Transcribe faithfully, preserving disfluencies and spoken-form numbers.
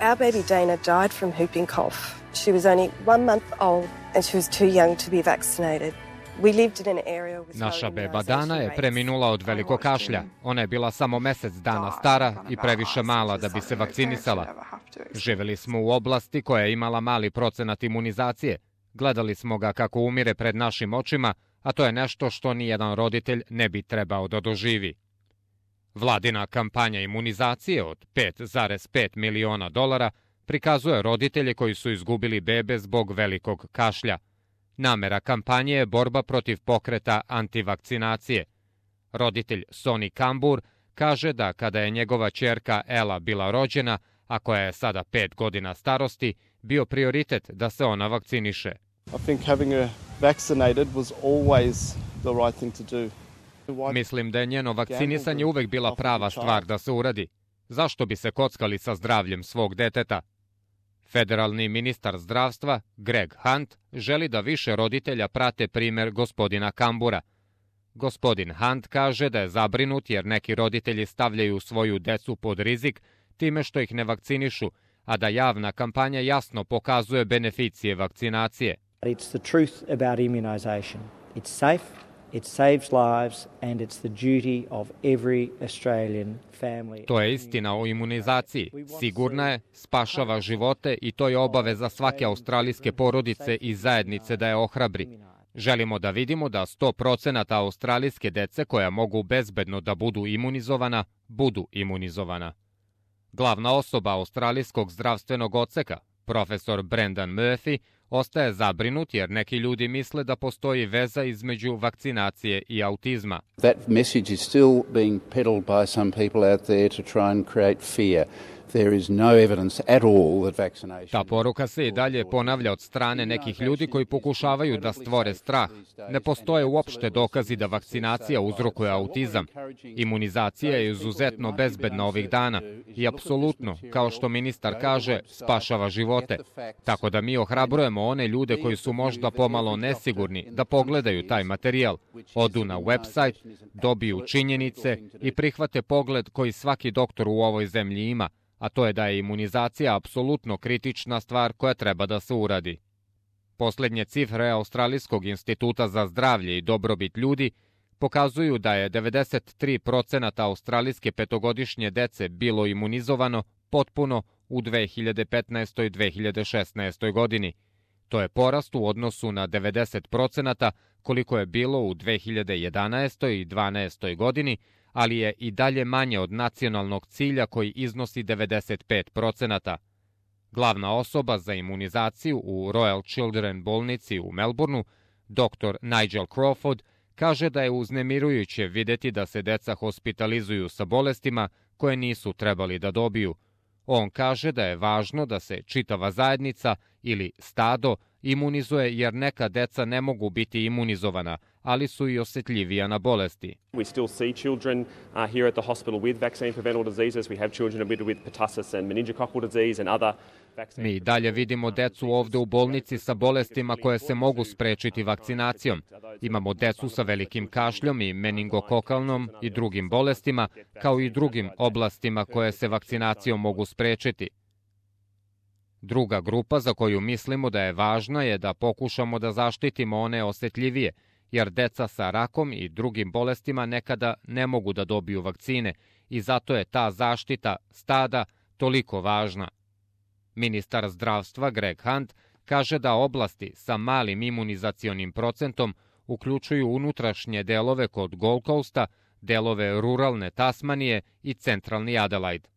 Our baby Dana died from whooping cough. She was only one month old and she was too young to be vaccinated. Naša beba Dana je preminula od velikog kašlja. Ona je bila samo mesec dana stara i previše mala da bi se vakcinisala. Živeli smo u oblasti koja je imala mali procenat imunizacije. Gledali smo ga kako umire pred našim očima, a to je nešto što nijedan roditelj ne bi trebao da doživi. Vladina kampanja imunizacije od pet zarez pet miliona dolara prikazuje roditelje koji su izgubili bebe zbog velikog kašlja. Namera kampanje je borba protiv pokreta antivakcinacije. Roditelj Sonny Kambur kaže da kada je njegova ćerka Ella bila rođena, a koja je sada pet godina starosti, bio prioritet da se ona vakciniše. I think having her vaccinated was always the right thing to do. Mislim da je njeno vakcinisanje uvek bila prava stvar da se uradi. Zašto bi se kockali sa zdravljem svog deteta? Federalni ministar zdravstva, Greg Hunt, želi da više roditelja prate primer gospodina Kambura. Gospodin Hunt kaže da je zabrinut jer neki roditelji stavljaju svoju decu pod rizik time što ih ne vakcinišu, a da javna kampanja jasno pokazuje beneficije vakcinacije. It's the truth about immunization. It's safe, it saves lives and it's the duty of every Australian family. To je istina o imunizaciji. Sigurna je, spašava živote i to je obaveza svake australijske porodice i zajednice da je ohrabri. Želimo da vidimo da sto procenata australijske dece koja mogu bezbedno da budu imunizovana, budu imunizovana. Glavna osoba australijskog zdravstvenog odseka, profesor Brendan Murphy, ostaje zabrinut jer neki ljudi misle da postoji veza između vakcinacije i autizma. That message is still being peddled by some people out there to try and create fear. There is no evidence at all that vaccination... Ta poruka se i dalje ponavlja od strane nekih ljudi koji pokušavaju da stvore strah. Ne postoje uopšte dokazi da vakcinacija uzrokuje autizam. Imunizacija je izuzetno bezbedna ovih dana i apsolutno, kao što ministar kaže, spašava živote. Tako da mi ohrabrujemo one ljude koji su možda pomalo nesigurni da pogledaju taj materijal, odu na website, dobiju činjenice i prihvate pogled koji svaki doktor u ovoj zemlji ima, a to je da je imunizacija apsolutno kritična stvar koja treba da se uradi. Poslednje cifre Australijskog instituta za zdravlje i dobrobit ljudi pokazuju da je devedeset tri procenata australijske petogodišnje dece bilo imunizovano potpuno u dve hiljade petnaestoj i dve hiljade šesnaestoj godini. To je porast u odnosu na devedeset procenata koliko je bilo u dve hiljade jedanaestoj i dvanaestoj godini, ali je i dalje manje od nacionalnog cilja koji iznosi devedeset pet procenata. Glavna osoba za imunizaciju u Royal Children bolnici u Melbourneu, doktor Nigel Crawford, kaže da je uznemirujuće videti da se deca hospitalizuju sa bolestima koje nisu trebali da dobiju. On kaže da je važno da se čitava zajednica ili stado imunizuje jer neka deca ne mogu biti imunizovana, ali su i osjetljivija na bolesti. We still see children uh, here at the hospital with vaccine preventable diseases. We have children admitted with pertussis and meningococcal disease and other vaccine. Mi dalje vidimo decu ovde u bolnici sa bolestima koje se mogu sprečiti vakcinacijom. Imamo decu sa velikim kašljom i meningokokalnom i drugim bolestima, kao i drugim oblastima koje se vakcinacijom mogu sprečiti. Druga grupa za koju mislimo da je važna je da pokušamo da zaštitimo one osjetljivije, jer deca sa rakom i drugim bolestima nekada ne mogu da dobiju vakcine i zato je ta zaštita stada toliko važna. Ministar zdravstva Greg Hunt kaže da oblasti sa malim imunizacionim procentom uključuju unutrašnje delove kod Gold Coasta, delove ruralne Tasmanije i centralni Adelaide.